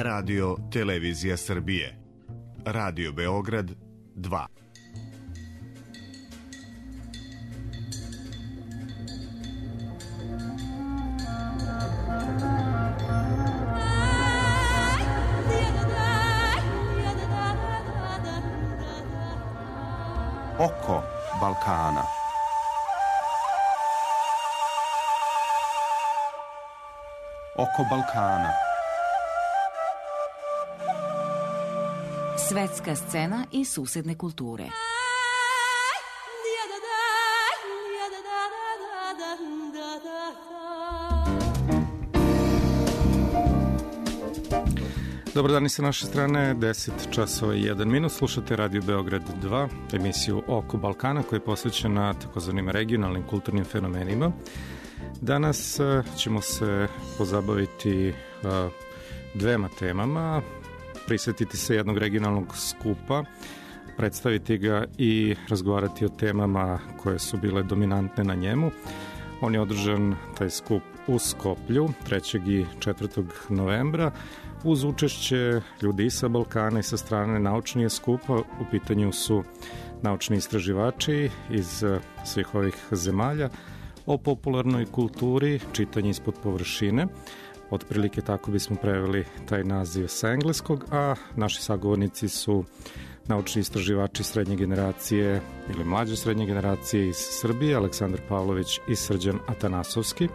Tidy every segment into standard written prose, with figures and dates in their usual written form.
Radio Televizija Srbije. Radio Beograd 2. Oko Balkana. Oko Balkana. Svetska scena i susedne kulture. Dobar dan i sa naše strane, 10 časova i 1 minut. Slušate Radio Beograd 2, emisiju Oko Balkana koja je posvećena takozvanim regionalnim kulturnim fenomenima. Danas ćemo se pozabaviti dvema temama, prisjetiti se jednog regionalnog skupa, predstaviti ga i razgovarati o temama koje su bile dominantne na njemu. On je održan, taj skup, u Skoplju 3. i 4. novembra uz učešće ljudi i sa Balkana i sa strane naučnije skupa. U pitanju su naučni istraživači iz svih ovih zemalja o popularnoj kulturi, čitanje ispod površine. Otprilike tako bismo preveli taj naziv sa engleskog, a naši sagovornici su naučni istraživači srednje generacije ili mlađe srednje generacije iz Srbije, Aleksandar Pavlović i Srđan Atanasovski.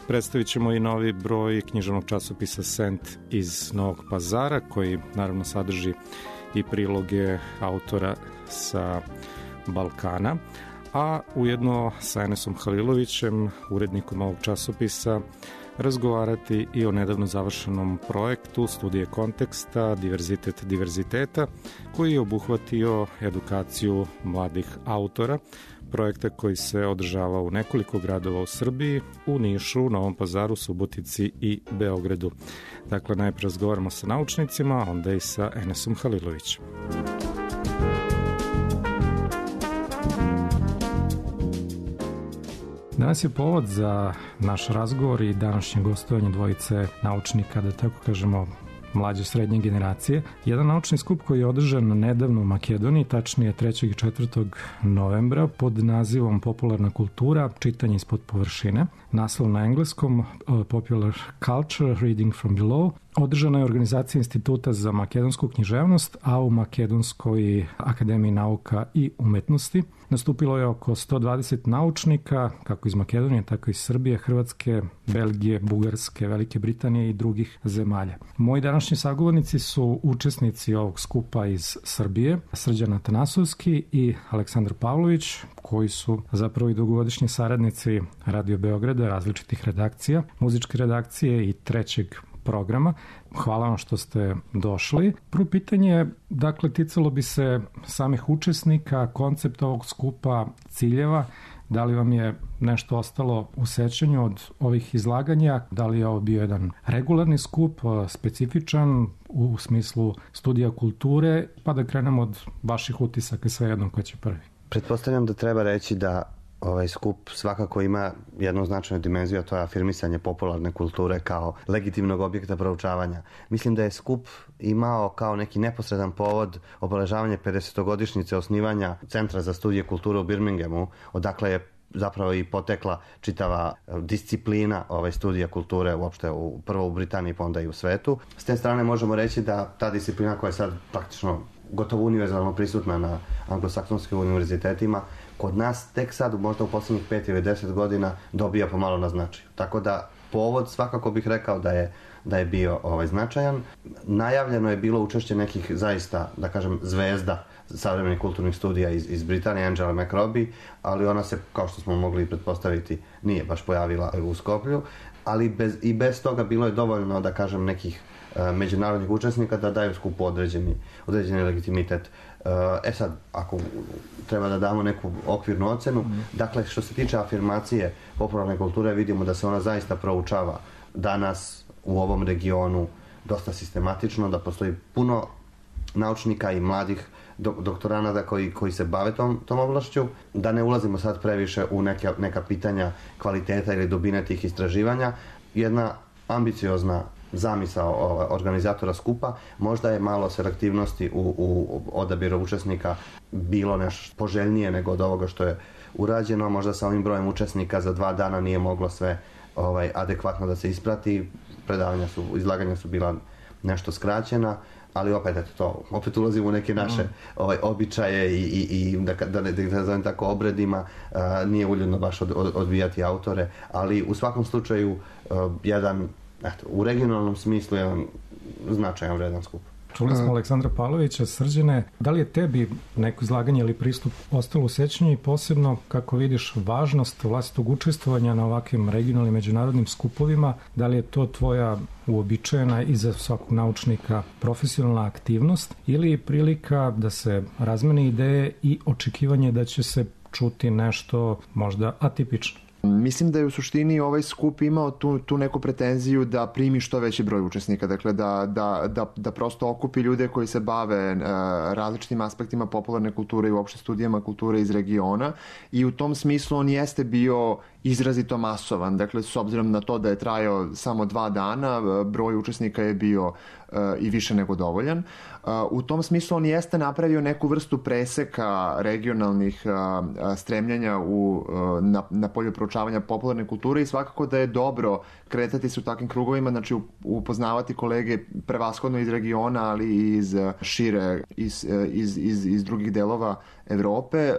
Predstavit ćemo i novi broj književnog časopisa Sent iz Novog Pazara, koji naravno sadrži i priloge autora sa Balkana, a ujedno sa Enesom Halilovićem, urednikom ovog časopisa, razgovarati i o nedavno završenom projektu Studije konteksta, diverzitet diverziteta, koji je obuhvatio edukaciju mladih autora, projekta koji se održava u nekoliko gradova u Srbiji, u Nišu, Novom Pazaru, Subotici i Beogradu. Dakle, najprej razgovaramo sa naučnicima, onda i sa Enesom Halilovićem. Danas je povod za naš razgovor i današnje gostovanje dvojice naučnika, da tako kažemo, mlađe srednje generacije. Jedan naučni skup koji je održan nedavno u Makedoniji, tačnije 3. i 4. novembra, pod nazivom Popularna kultura, čitanje ispod površine. Naslov na engleskom Popular Culture, Reading from Below. Održana je organizacija Instituta za makedonsku književnost, a u Makedonskoj akademiji nauka i umetnosti. Nastupilo je oko 120 naučnika, kako iz Makedonije, tako iz Srbije, Hrvatske, Belgije, Bugarske, Velike Britanije i drugih zemalja. Moji današnji sagovornici su učesnici ovog skupa iz Srbije, Srđan Atanasovski i Aleksandar Pavlović, koji su zapravo i dugogodišnji saradnici Radio Beograda, različitih redakcija, muzičke redakcije i trećeg programa. Hvala vam što ste došli. Prvo pitanje, dakle, ticalo bi se samih učesnika, koncept ovog skupa, ciljeva. Da li vam je nešto ostalo u sećanju od ovih izlaganja? Da li je ovo bio jedan regularni skup, specifičan u smislu studija kulture? Pa da krenemo od vaših utisaka, svejedno ko će prvi. Pretpostavljam da treba reći da ovaj skup svakako ima jednu značajnu dimenziju, a to je afirmisanje popularne kulture kao legitimnog objekta proučavanja. Mislim da je skup imao kao neki neposredan povod obeležavanje 50-godišnjice osnivanja Centra za studije kulture u Birminghamu, odakle je zapravo i potekla čitava disciplina studija kulture uopšte prvo u Britaniji pa onda i u svetu. S te strane možemo reći da ta disciplina koja je sad praktično gotovo univerzalno prisutna na anglosaksonskim univerzitetima, kod nas tek sad, možda u poslednjih 5 ili 10 godina, dobija pomalo na značaju. Tako da povod svakako bih rekao da je bio značajan. Najavljeno je bilo učešće nekih zaista, da kažem, zvezda savremenih kulturnih studija iz Britanije, Angela McRobbie, ali ona se, kao što smo mogli pretpostaviti, nije baš pojavila u Skoplju, ali i bez toga bilo je dovoljno, da kažem, nekih međunarodnih učesnika da daju skupu određeni legitimitet. Sad, ako treba da damo neku okvirnu ocenu, dakle, što se tiče afirmacije popularne kulture, vidimo da se ona zaista proučava danas u ovom regionu dosta sistematično, da postoji puno naučnika i mladih doktoranata koji se bave tom oblašću, da ne ulazimo sad previše u neka pitanja kvaliteta ili dubine tih istraživanja. Jedna ambiciozna zamisao organizatora skupa. Možda je malo selektivnosti u odabiru učesnika bilo nešto poželjnije nego od ovoga što je urađeno. Možda sa ovim brojem učesnika za 2 dana nije moglo sve adekvatno da se isprati. Izlaganja su bila nešto skraćena, ali opet ulazimo u neke naše običaje i da ne zovem tako obredima, nije uljudno baš odbijati autore, ali u svakom slučaju jedan, u regionalnom smislu jedan značajan vredan skup. Čuli smo Aleksandra Pavlovića. Srđane, da li je tebi neko izlaganje ili pristup ostalo u sećanju i posebno kako vidiš važnost vlastitog učestvovanja na ovakvim regionalnim međunarodnim skupovima? Da li je to tvoja uobičajena i za svakog naučnika profesionalna aktivnost ili prilika da se razmene ideje i očekivanje da će se čuti nešto možda atipično? Mislim da je u suštini ovaj skup imao tu neku pretenziju da primi što veći broj učesnika, dakle da prosto okupi ljude koji se bave različitim aspektima popularne kulture i uopšte studijama kulture iz regiona i u tom smislu on jeste bio izrazito masovan, dakle s obzirom na to da je trajao samo 2 dana, broj učesnika je bio i više nego dovoljan. U tom smislu on jeste napravio neku vrstu preseka regionalnih stremljenja na polju proučavanja popularne kulture i svakako da je dobro kretati se u takvim krugovima, znači upoznavati kolege prevashodno iz regiona, ali i iz šire, iz drugih delova Evrope,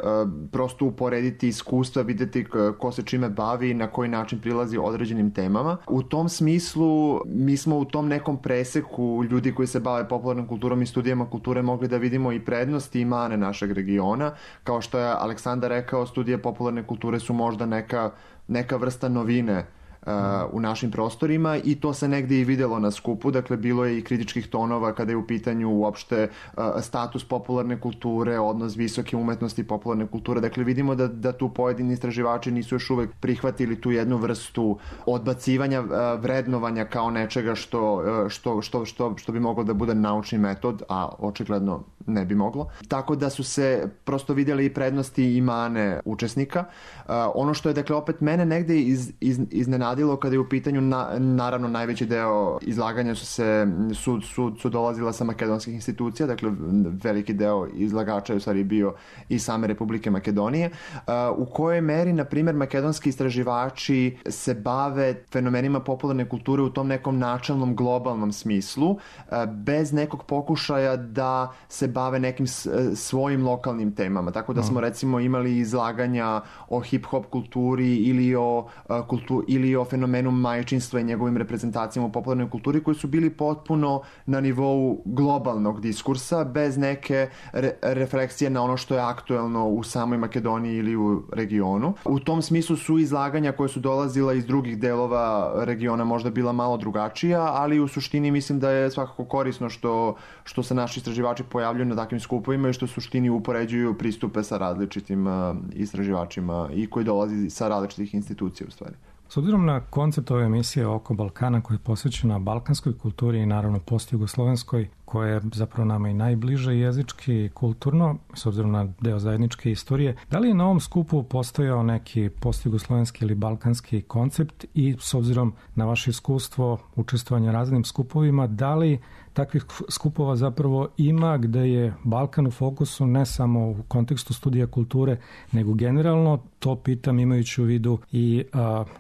prosto uporediti iskustva, vidjeti ko se čime bavi i na koji način prilazi određenim temama. U tom smislu mi smo u tom nekom preseku ljudi koji se bave popularnom kulturom i studijama kulture mogli da vidimo i prednosti i mane našeg regiona. Kao što je Aleksandar rekao, studije popularne kulture su možda neka vrsta novine u našim prostorima i to se negdje i vidjelo na skupu, dakle bilo je i kritičkih tonova kada je u pitanju uopšte status popularne kulture, odnos visoke umetnosti i popularne kulture, dakle vidimo da tu pojedini istraživači nisu još uvek prihvatili tu jednu vrstu odbacivanja vrednovanja kao nečega što bi moglo da bude naučni metod, a očigledno ne bi moglo. Tako da su se prosto vidjeli i prednosti i mane učesnika. Ono što je, dakle, opet mene negde iznenadilo kada je u pitanju, naravno, najveći deo izlaganja su dolazila sa makedonskih institucija, dakle, veliki deo izlagača je u stvari bio i same Republike Makedonije. U kojoj meri, na primjer, makedonski istraživači se bave fenomenima popularne kulture u tom nekom načelnom globalnom smislu, bez nekog pokušaja da se bave nekim svojim lokalnim temama. Tako da smo recimo imali izlaganja o hip-hop kulturi ili o fenomenu majčinstva i njegovim reprezentacijama u popularnoj kulturi koji su bili potpuno na nivou globalnog diskursa bez neke refleksije na ono što je aktuelno u samoj Makedoniji ili u regionu. U tom smislu su izlaganja koje su dolazila iz drugih delova regiona možda bila malo drugačija, ali u suštini mislim da je svakako korisno što se naši istraživači pojavljuju na takvim skupovima i što u suštini upoređuju pristupe sa različitim istraživačima i koji dolazi sa različitih institucija u stvari. S obzirom na koncept ove emisije Oko Balkana koja je posvećena balkanskoj kulturi i naravno postjugoslovenskoj, koja je zapravo nama i najbliže jezički i kulturno, s obzirom na deo zajedničke istorije, da li je na ovom skupu postojao neki postjugoslovenski ili balkanski koncept i s obzirom na vaše iskustvo učestvovanja raznim skupovima, da li takvih skupova zapravo ima gde je Balkan u fokusu ne samo u kontekstu studija kulture, nego generalno? To pitam imajući u vidu i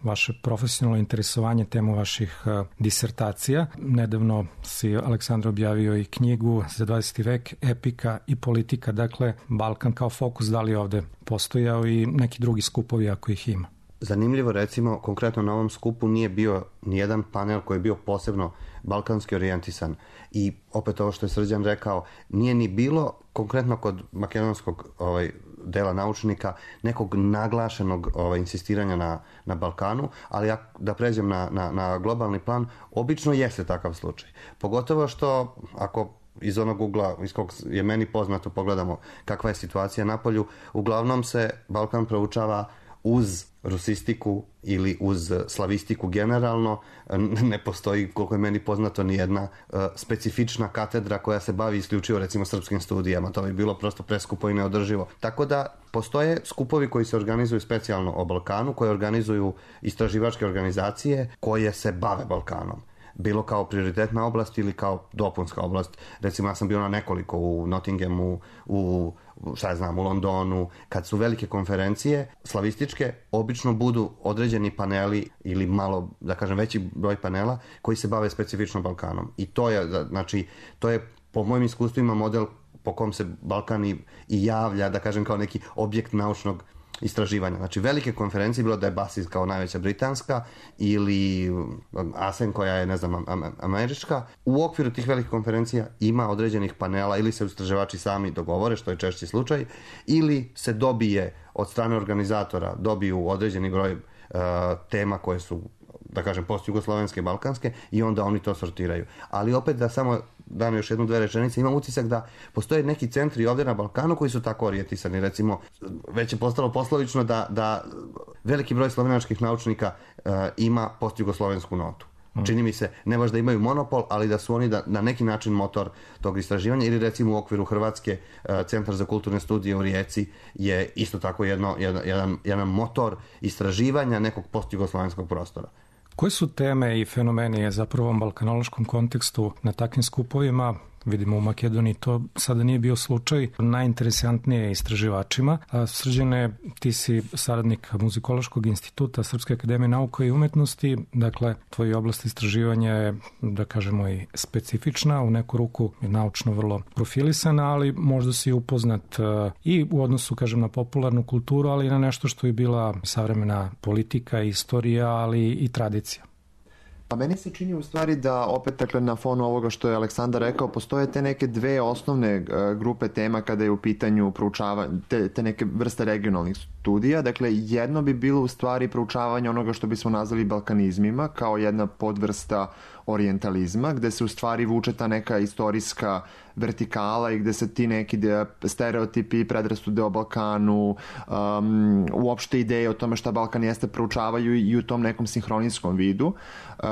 vaše profesionalno interesovanje temu vaših disertacija. Nedavno si, Aleksandar, objavio i knjigu za 20. vek, Epika i politika. Dakle, Balkan kao fokus, da li ovde postojao i neki drugi skupovi ako ih ima? Zanimljivo, recimo, konkretno na ovom skupu nije bio nijedan panel koji je bio posebno balkanski orijentisan. I opet ovo što je Srđan rekao, nije ni bilo konkretno kod makedonskog dela naučnika nekog naglašenog insistiranja na Balkanu, ali da pređem na globalni plan, obično jeste takav slučaj. Pogotovo što ako iz onog ugla iz kog je meni poznato pogledamo kakva je situacija na polju, uglavnom se Balkan proučava uz rusistiku ili uz slavistiku generalno. Ne postoji, koliko je meni poznato, ni jedna specifična katedra koja se bavi isključivo recimo srpskim studijama. To bi bilo prosto preskupo i neodrživo. Tako da postoje skupovi koji se organizuju specijalno o Balkanu, koje organizuju istraživačke organizacije koje se bave Balkanom. bilo kao prioritetna oblast ili kao dopunska oblast. Recimo, ja sam bio na nekoliko u Nottinghamu, u Londonu. Kad su velike konferencije slavističke, obično budu određeni paneli ili malo, da kažem, veći broj panela koji se bave specifično Balkanom. I to je po mojim iskustvima model po kom se Balkan i javlja, da kažem, kao neki objekt naučnog istraživanja. Znači, velike konferencije, bilo da je BASIS kao najveća britanska ili ASEN koja je, ne znam, američka, u okviru tih velikih konferencija ima određenih panela ili se istraživači sami dogovore, što je češći slučaj, ili se dobije od strane organizatora, dobiju određeni broj tema koje su, da kažem, post-jugoslovenske, balkanske, i onda oni to sortiraju. Ali opet, da samo dam još 1-2 rečenice, imam utisak da postoje neki centri ovdje na Balkanu koji su tako orijentisani. Recimo, već je postalo poslovično da veliki broj slovenačkih naučnika ima post-jugoslovensku notu. Čini mi se, ne baš da imaju monopol, ali da su oni na neki način motor tog istraživanja, ili recimo u okviru Hrvatske Centar za kulturne studije u Rijeci je isto tako jedan motor istraživanja nekog post-jugoslovenskog prostora. Koje su teme i fenomeni zapravo u balkanološkom kontekstu na takvim skupovima? Vidimo u Makedoniji to sada nije bio slučaj, najinteresantnije istraživačima. Srđane, ti si saradnik Muzikološkog instituta Srpske akademije nauka i umetnosti, dakle, tvoja oblast istraživanja je, da kažemo, i specifična, u neku ruku je naučno vrlo profilisana, ali možda si upoznat i u odnosu, kažem, na popularnu kulturu, ali i na nešto što je bila savremena politika, istorija, ali i tradicija. Pa meni se čini u stvari da opet, dakle, na fonu ovoga što je Aleksandar rekao, postoje te neke dve osnovne grupe tema kada je u pitanju proučavanje, te neke vrste regionalnih studija. Dakle, jedno bi bilo u stvari proučavanje onoga što bismo nazvali balkanizmima, kao jedna podvrsta orijentalizma, gde se u stvari vuče ta neka istorijska vertikala i gde se ti neki stereotipi i predrasude o Balkanu, uopšte ideje o tome šta Balkan jeste, proučavaju i u tom nekom sinhronijskom vidu.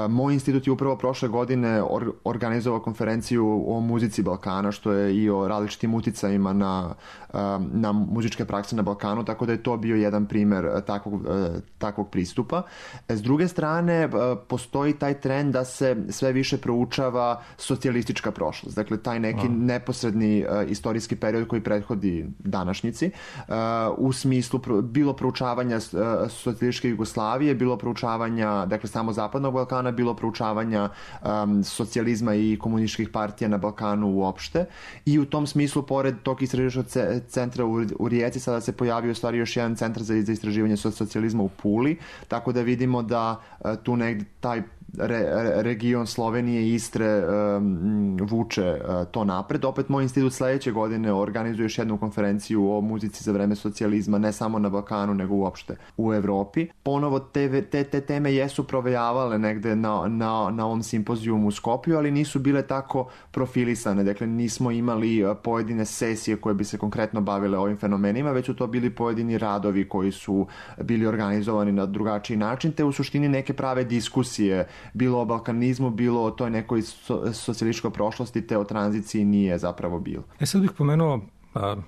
Moj institut je upravo prošle godine organizovao konferenciju o muzici Balkana, što je i o različitim uticajima na muzičke prakse na Balkanu, tako da je to bio jedan primer takvog pristupa. S druge strane, postoji taj trend da se sve više proučava socijalistička prošlost. Dakle, taj neki neposredni istorijski period koji prethodi današnjici, u smislu bilo proučavanja socijalističke Jugoslavije, bilo proučavanja, dakle, samo zapadnog Balkana, bilo proučavanja socijalizma i komunističkih partija na Balkanu uopšte. I u tom smislu, pored tog istraživačkog centra u Rijeci, sada se pojavio u stvari još jedan centar za istraživanje socijalizma u Puli, tako da vidimo da tu negdje taj region Slovenije i Istre vuče to napred. Opet moj institut sledeće godine organizuje još jednu konferenciju o muzici za vreme socijalizma, ne samo na Balkanu, nego uopšte u Evropi. Ponovo te teme jesu provejavale negde na ovom simpozijumu u Skopju, ali nisu bile tako profilisane. Dakle, nismo imali pojedine sesije koje bi se konkretno bavile ovim fenomenima, već su to bili pojedini radovi koji su bili organizovani na drugačiji način, te u suštini neke prave diskusije, bilo o balkanizmu, bilo o toj nekoj socijalističkoj prošlosti, te o tranziciji nije zapravo bilo. Sad bih pomenuo,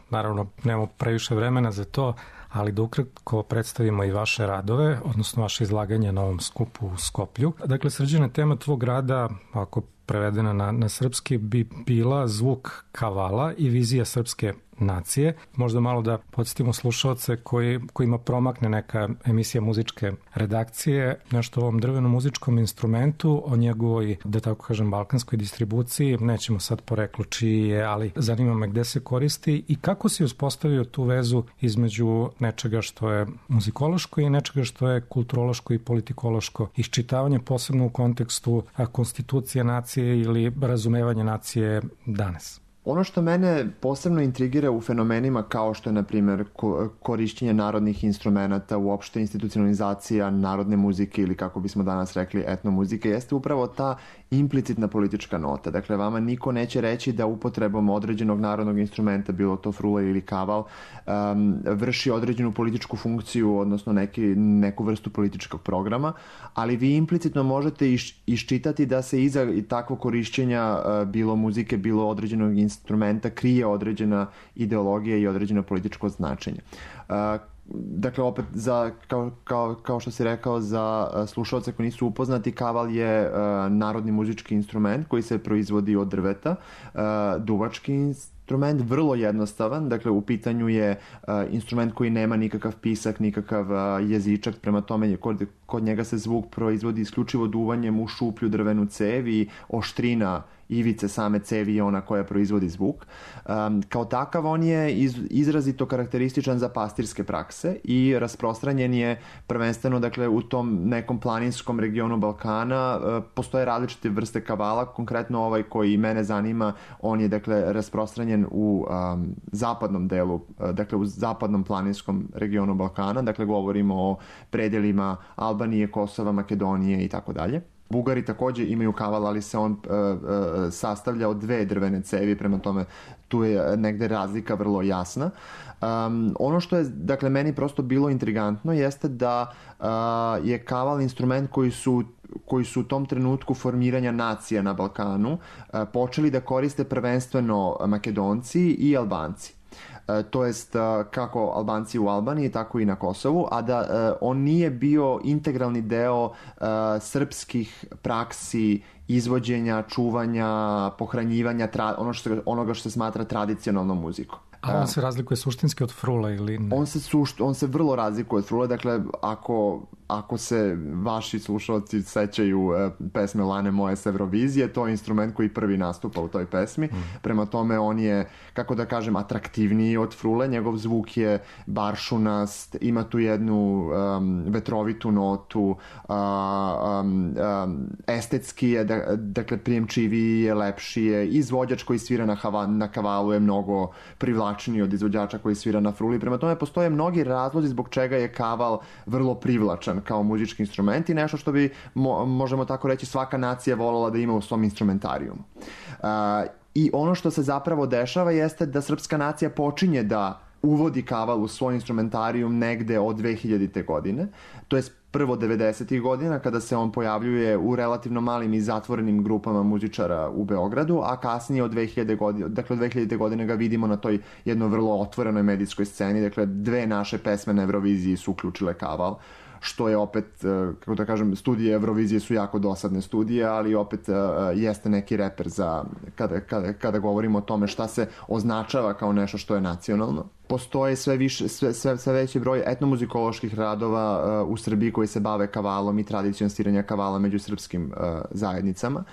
naravno nemamo previše vremena za to, ali da ukratko predstavimo i vaše radove, odnosno vaše izlaganje na ovom skupu u Skoplju. Dakle, Srđane, tema tvog rada, ako prevedena na srpski, bi bila zvuk kavala i vizija srpske nacije. Možda malo da podsjetimo slušalce kojima promakne neka emisija muzičke redakcije, nešto o ovom drvenom muzičkom instrumentu, o njegovoj, da tako kažem, balkanskoj distribuciji. Nećemo sad poreklo čiji je, ali zanima me gde se koristi i kako si uspostavio tu vezu između nečega što je muzikološko i nečega što je kulturološko i politikološko iščitavanje, posebno u kontekstu konstitucije nacije ili razumevanja nacije danas. Ono što mene posebno intrigira u fenomenima kao što je, na primjer, korišćenje narodnih instrumenata, uopšte institucionalizacija narodne muzike ili, kako bismo danas rekli, etnomuzike, jeste upravo ta implicitna politička nota. Dakle, vama niko neće reći da upotrebom određenog narodnog instrumenta, bilo to frula ili kaval, vrši određenu političku funkciju, odnosno neku vrstu političkog programa, ali vi implicitno možete iščitati da se iza takvog korišćenja bilo muzike, bilo određenog instrumenta krije određena ideologija i određeno političko značenje. Dakle, opet, kao što si rekao, za slušalce koji nisu upoznati, kaval je narodni muzički instrument koji se proizvodi od drveta, duvački instrument, vrlo jednostavan, dakle u pitanju je instrument koji nema nikakav pisak, nikakav jezičak, prema tome kod njega se zvuk proizvodi isključivo duvanjem u šuplju drvenu cev i oštrina ivice same cevi je ona koja proizvodi zvuk. Kao takav on je izrazito karakterističan za pastirske prakse i rasprostranjen je prvenstveno, dakle, u tom nekom planinskom regionu Balkana. Postoje različite vrste kavala, konkretno ovaj koji mene zanima, on je, dakle, rasprostranjen u zapadnom delu, dakle u zapadnom planinskom regionu Balkana, dakle govorimo o predelima Albanije, Kosova, Makedonije i tako dalje. Bugari takođe imaju kaval, ali se on sastavlja od 2 drvene cevi, prema tome tu je negde razlika vrlo jasna. Ono što je, dakle, meni prosto bilo intrigantno jeste da je kaval instrument koji su u tom trenutku formiranja nacija na Balkanu počeli da koriste prvenstveno Makedonci i Albanci. To jest kako Albanci u Albaniji, tako i na Kosovu, a da on nije bio integralni deo srpskih praksi izvođenja, čuvanja, pohranjivanja onoga što se smatra tradicionalnom muzikom. A on se razlikuje suštinski od frule ili ne? On se vrlo razlikuje od frule, dakle ako se vaši slušalci sećaju pesme Lane moje s Eurovizije, to je instrument koji prvi nastupa u toj pesmi. Prema tome on je, kako da kažem, atraktivniji od frule, njegov zvuk je baršunast, ima tu jednu vetrovitu notu, estetski je, dakle prijemčiviji je, lepši je, izvođač koji svira na kavalu je mnogo privlačniji od izvođača koji svira na fruli. Prema tome postoje mnogi razlozi zbog čega je kaval vrlo privlačan kao muzički instrument i nešto što bi, možemo tako reći, svaka nacija voljela da ima u svom instrumentarijumu. I ono što se zapravo dešava jeste da srpska nacija počinje da uvodi kaval u svoj instrumentarijum negde od 2000. godine, to je prvo 90. godina kada se on pojavljuje u relativno malim i zatvorenim grupama muzičara u Beogradu, a kasnije od 2000. godine, dakle od 2000. godine ga vidimo na toj jedno vrlo otvorenoj medijskoj sceni, dakle 2 naše pesme na Euroviziji su uključile kaval, što je opet, kako da kažem, studije Eurovizije su jako dosadne studije, ali opet jeste neki reper za kada govorimo o tome šta se označava kao nešto što je nacionalno. Postoje sve veći broj etnomuzikoloških radova u Srbiji koji se bave kavalom i tradicijom sviranja kavala među srpskim zajednicama.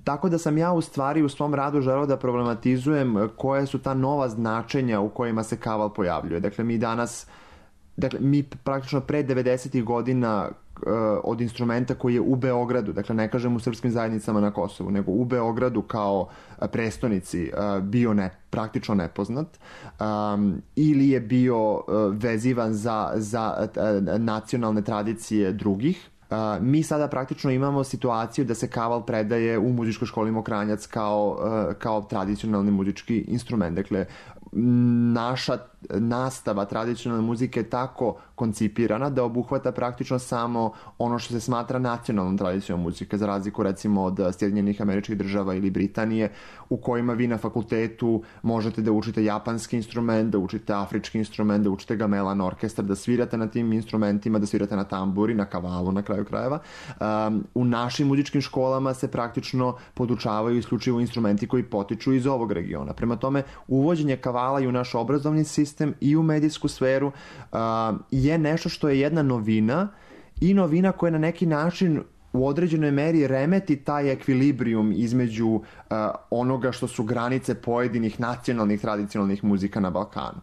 Tako da sam ja u stvari u svom radu želeo da problematizujem koje su ta nova značenja u kojima se kaval pojavljuje. Dakle, mi praktično pre 90. godina od instrumenta koji je u Beogradu, dakle ne kažem u srpskim zajednicama na Kosovu, nego u Beogradu kao prestonici bio praktično nepoznat ili je bio vezivan za nacionalne tradicije drugih. Mi sada praktično imamo situaciju da se kaval predaje u muzičkoj školi Mokranjac kao tradicionalni muzički instrument. Dakle, naša nastava tradicionalne muzike je tako koncipirana da obuhvata praktično samo ono što se smatra nacionalnom tradicijom muzike, za razliku recimo od Sjedinjenih Američkih Država ili Britanije, u kojima vi na fakultetu možete da učite japanski instrument, da učite afrički instrument, da učite gamelan orkestar, da svirate na tim instrumentima, da svirate na tamburi, na kavalu na kraju krajeva. U našim muzičkim školama se praktično podučavaju isključivo instrumenti koji potiču iz ovog regiona. Prema tome, uvođenje kavala i u naš obrazovni sistem i u medijsku sferu je nešto što je jedna novina i novina koja na neki način u određenoj meri remeti taj ekvilibrijum između onoga što su granice pojedinih nacionalnih tradicionalnih muzika na Balkanu.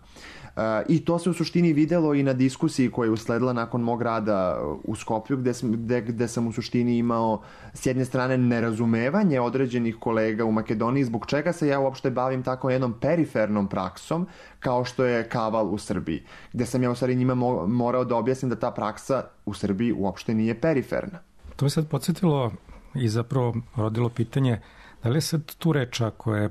I to se u suštini videlo i na diskusiji koja je usledila nakon mog rada u Skoplju, gde sam u suštini imao s jedne strane nerazumevanje određenih kolega u Makedoniji zbog čega se ja uopšte bavim tako jednom perifernom praksom kao što je kaval u Srbiji, gde sam ja u stvari njima morao da objasnim da ta praksa u Srbiji uopšte nije periferna. To je sad podsjetilo i zapravo rodilo pitanje da li je sad tu reč ako je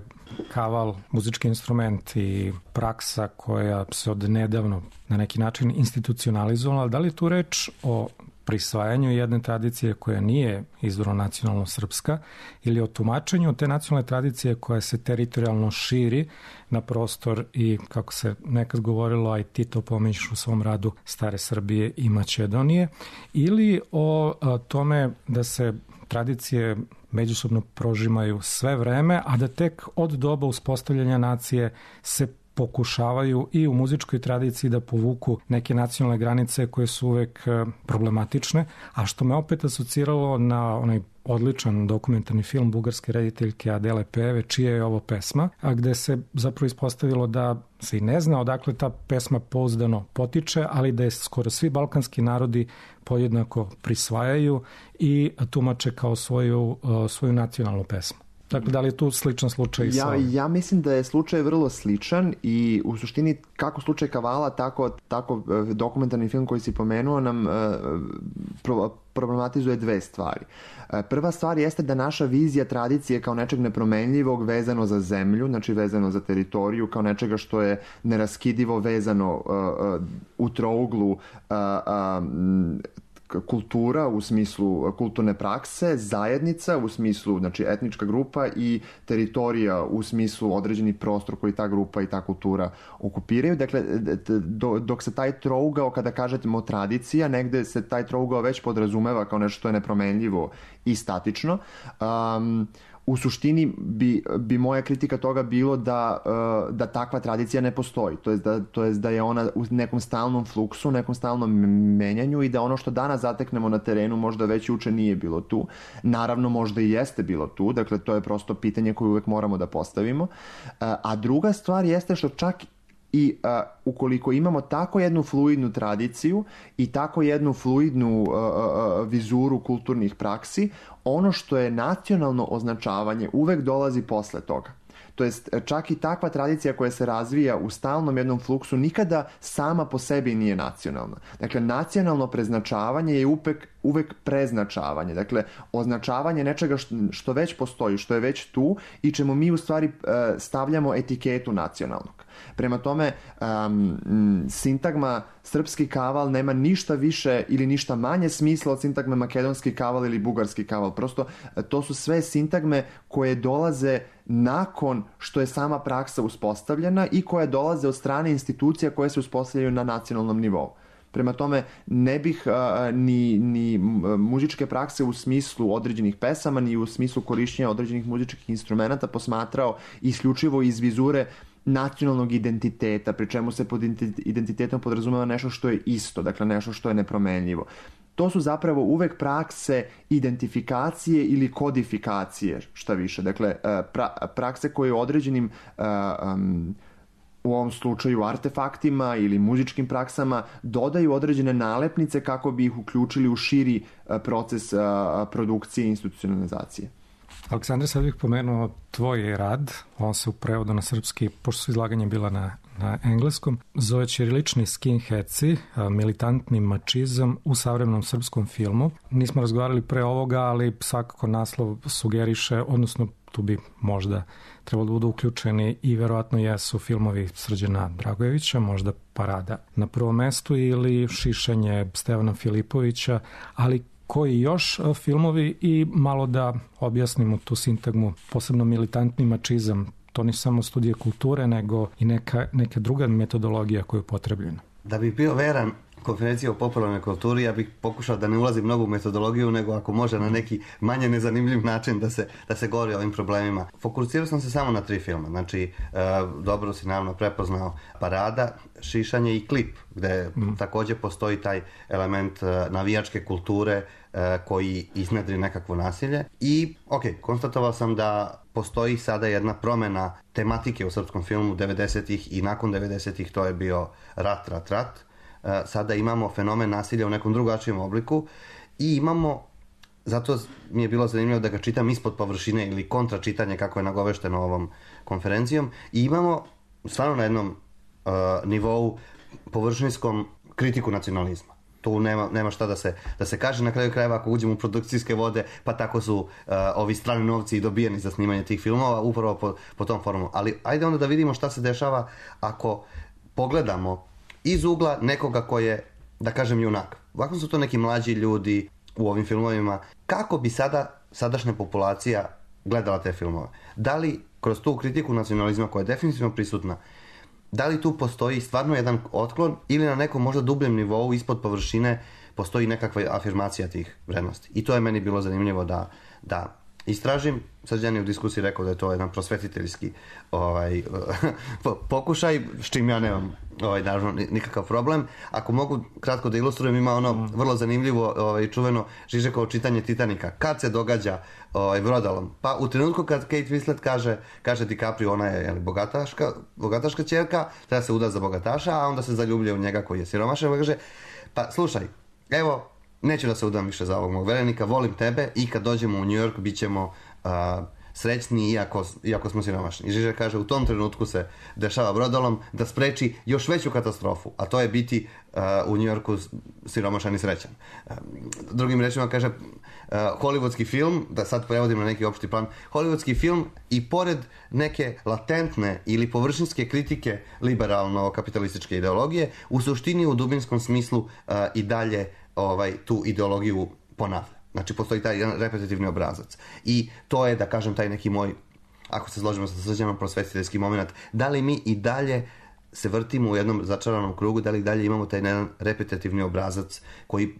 kaval muzički instrument i praksa koja se od nedavno na neki način institucionalizovala, da li je tu reč o prisvajanju jedne tradicije koja nije izvorno nacionalno srpska ili o tumačenju te nacionalne tradicije koja se teritorijalno širi na prostor i, kako se nekad govorilo, a i ti to pominješ u svom radu, stare Srbije i Makedonije, ili o tome da se tradicije međusobno prožimaju sve vreme, a da tek od doba uspostavljanja nacije se pokušavaju i u muzičkoj tradiciji da povuku neke nacionalne granice koje su uvek problematične, a što me opet asociralo na onaj odličan dokumentarni film bugarske rediteljke Adele Peve, čija je ovo pesma, a gde se zapravo ispostavilo da se i ne zna odakle ta pesma pouzdano potiče, ali da je skoro svi balkanski narodi podjednako prisvajaju i tumače kao svoju nacionalnu pesmu. Dakle, da li je tu sličan slučaj? Ja mislim da je slučaj vrlo sličan i u suštini kako slučaj Kavala, tako dokumentarni film koji si pomenuo nam problematizuje dve stvari. Prva stvar jeste da naša vizija tradicije kao nečeg nepromenljivog vezano za zemlju, znači vezano za teritoriju, kao nečega što je neraskidivo vezano u trouglu kultura u smislu kulturne prakse, zajednica u smislu, znači etnička grupa, i teritorija u smislu određeni prostor koji ta grupa i ta kultura okupiraju. Dakle, dok se taj trougao, kada kažemo tradicija, negde se taj trougao već podrazumeva kao nešto što je nepromenljivo i statično. U suštini bi moja kritika toga bilo da takva tradicija ne postoji. To jest da je ona u nekom stalnom fluksu, nekom stalnom menjanju i da ono što danas zateknemo na terenu možda već juče nije bilo tu. Naravno, možda i jeste bilo tu. Dakle, to je prosto pitanje koje uvek moramo da postavimo. A druga stvar jeste što čak i ukoliko imamo tako jednu fluidnu tradiciju i tako jednu fluidnu vizuru kulturnih praksi, ono što je nacionalno označavanje uvek dolazi posle toga. To jest, čak i takva tradicija koja se razvija u stalnom jednom fluksu nikada sama po sebi nije nacionalna. Dakle, nacionalno preznačavanje je uvek preznačavanje. Dakle, označavanje nečega što već postoji, što je već tu i čemu mi u stvari stavljamo etiketu nacionalnog. Prema tome, sintagma srpski kaval nema ništa više ili ništa manje smisla od sintagme makedonski kaval ili bugarski kaval. Prosto, to su sve sintagme koje dolaze nakon što je sama praksa uspostavljena i koje dolaze od strane institucija koje se uspostavljaju na nacionalnom nivou. Prema tome, ne bih ni muzičke prakse u smislu određenih pesama, ni u smislu korišćenja određenih muzičkih instrumenta posmatrao isključivo iz vizure nacionalnog identiteta, pri čemu se pod identitetom podrazumeva nešto što je isto, dakle nešto što je nepromenljivo. To su zapravo uvek prakse identifikacije ili kodifikacije, šta više. Dakle, prakse koje određenim u ovom slučaju artefaktima ili muzičkim praksama dodaju određene nalepnice kako bi ih uključili u širi proces produkcije i institucionalizacije. Aleksandre, sad bih pomenuo tvoj rad, on se u prevodu na srpski, pošto su izlaganje bila na engleskom, zove Ćirilični skinheadsi, militantni mačizam u savremenom srpskom filmu. Nismo razgovarali pre ovoga, ali svakako naslov sugeriše, odnosno tu bi možda trebalo da budu uključeni i verovatno jesu filmovi Srđana Dragojevića, možda Parada na prvom mestu ili Šišanje Stevana Filipovića, ali koji još filmovi i malo da objasnimo tu sintagmu, posebno militantni mačizam. To nisu samo studije kulture, nego i neka druga metodologija koja je upotrebljena. Da bi bio veran konferencija o popularnoj kulturi, ja bih pokušao da ne ulazim mnogo u metodologiju, nego ako može na neki manje nezanimljiv način da se govori o ovim problemima. Fokusirao sam se samo na 3 filma. Znači, dobro si naravno prepoznao Parada, Šišanje i Klip, gde takođe postoji taj element navijačke kulture koji iznedri nekakvo nasilje. I, konstatovao sam da postoji sada jedna promena tematike u srpskom filmu 90-ih i nakon 90-ih to je bio rat. Sada imamo fenomen nasilja u nekom drugačijem obliku i imamo, zato mi je bilo zanimljivo da ga čitam ispod površine ili kontra čitanje kako je nagovešteno ovom konferencijom, i imamo stvarno na jednom nivou površinskom kritiku nacionalizma. Tu nema šta da se kaže. Na kraju krajeva, ako uđemo u produkcijske vode, pa tako su ovi strani novci i dobijeni za snimanje tih filmova, upravo po tom formu. Ali ajde onda da vidimo šta se dešava ako pogledamo iz ugla nekoga ko je, da kažem, junak, ovako su to neki mlađi ljudi u ovim filmovima. Kako bi sadašnja populacija gledala te filmove? Da li kroz tu kritiku nacionalizma koja je definitivno prisutna, da li tu postoji stvarno jedan otklon ili na nekom možda dubljem nivou ispod površine postoji nekakva afirmacija tih vrednosti? I to je meni bilo zanimljivo da istražim. Srđan je u diskusiji rekao da je to jedan prosvetiteljski pokušaj, s čim ja nemam naravno nikakav problem. Ako mogu kratko da ilustrujem, ima ono vrlo zanimljivo čuveno Žižekovo čitanje Titanika. Kad se događa brodolom? Pa u trenutku kad Kate Winslet kaže DiCaprio, ona je bogataška ćerka, treba se uda za bogataša, a onda se zaljubljuje u njega koji je siromašan, kaže, pa slušaj, evo, neću da se udam više za ovog mog verenika, volim tebe i kad dođemo u New York bit ćemo srećni iako smo siromašni. I Žižek kaže, u tom trenutku se dešava brodolom da spreči još veću katastrofu, a to je biti u New Yorku siromašan i srećan. Drugim rečima kaže, hollywoodski film, da sad prevodim na neki opšti plan, hollywoodski film i pored neke latentne ili površinske kritike liberalno-kapitalističke ideologije, u suštini u dubinskom smislu i dalje tu ideologiju ponavlja. Znači, postoji taj jedan repetitivni obrazac. I to je, da kažem, taj neki moj, ako se složimo sa Srđanom, prosvetiteljski moment. Da li mi i dalje se vrtimo u jednom začaranom krugu, da li i dalje imamo taj jedan repetitivni obrazac koji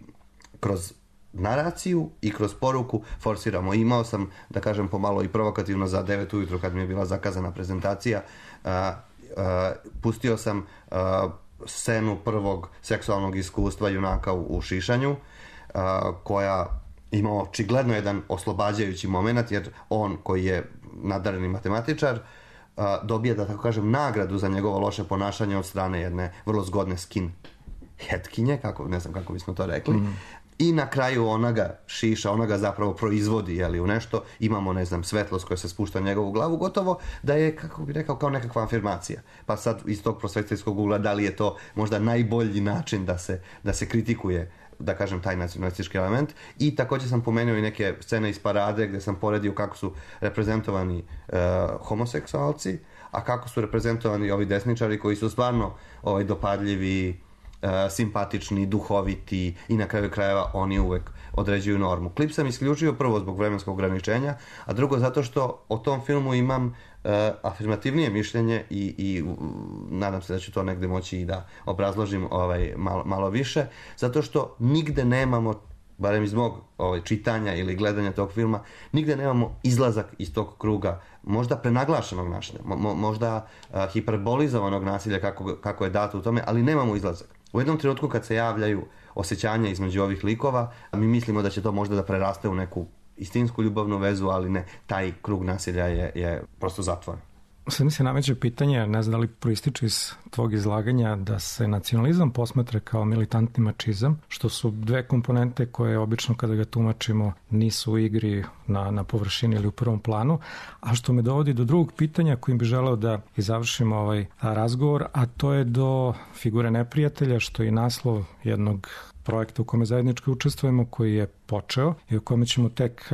kroz naraciju i kroz poruku forsiramo. Imao sam, da kažem, pomalo i provokativno za 9 ujutru kad mi je bila zakazana prezentacija, pustio sam scenu prvog seksualnog iskustva junaka u šišanju, koja ima očigledno jedan oslobađajući moment, jer on koji je nadareni matematičar dobija, da tako kažem, nagradu za njegovo loše ponašanje od strane jedne vrlo zgodne skinheadkinje, ne znam kako bismo to rekli. I na kraju ona ga šiša, ona ga zapravo proizvodi u nešto. Imamo, ne znam, svetlost koja se spušta na njegovu glavu, gotovo da je, kako bih rekao, kao nekakva afirmacija. Pa sad iz tog prosvetiteljskog ugla, da li je to možda najbolji način da se kritikuje, da kažem, taj nacionalistički element. I također sam pomenuo i neke scene iz Parade gdje sam poredio kako su reprezentovani homoseksualci, a kako su reprezentovani ovi desničari koji su stvarno dopadljivi, simpatični, duhoviti i na kraju krajeva oni uvek određuju normu. Klip sam isključio prvo zbog vremenskog ograničenja, a drugo zato što o tom filmu imam afirmativnije mišljenje i nadam se da ću to negde moći i da obrazložim malo više, zato što nigde nemamo, barem iz mog čitanja ili gledanja tog filma, nigde nemamo izlazak iz tog kruga, možda prenaglašenog nasilja, možda hiperbolizovanog nasilja kako je dato u tome, ali nemamo izlazak. U jednom trenutku kad se javljaju osjećanja između ovih likova, mi mislimo da će to možda da preraste u neku istinsku ljubavnu vezu, ali ne, taj krug nasilja je prosto zatvoren. Sad mi se nameće pitanje, ne znam da li proističe iz tvog izlaganja, da se nacionalizam posmatra kao militantni mačizam, što su dve komponente koje obično kada ga tumačimo nisu u igri na površini ili u prvom planu, a što me dovodi do drugog pitanja kojim bi želeo da završimo ovaj razgovor, a to je do figure neprijatelja, što je naslov jednog projekta u kome zajednički učestvujemo, koji je počeo i o kome ćemo tek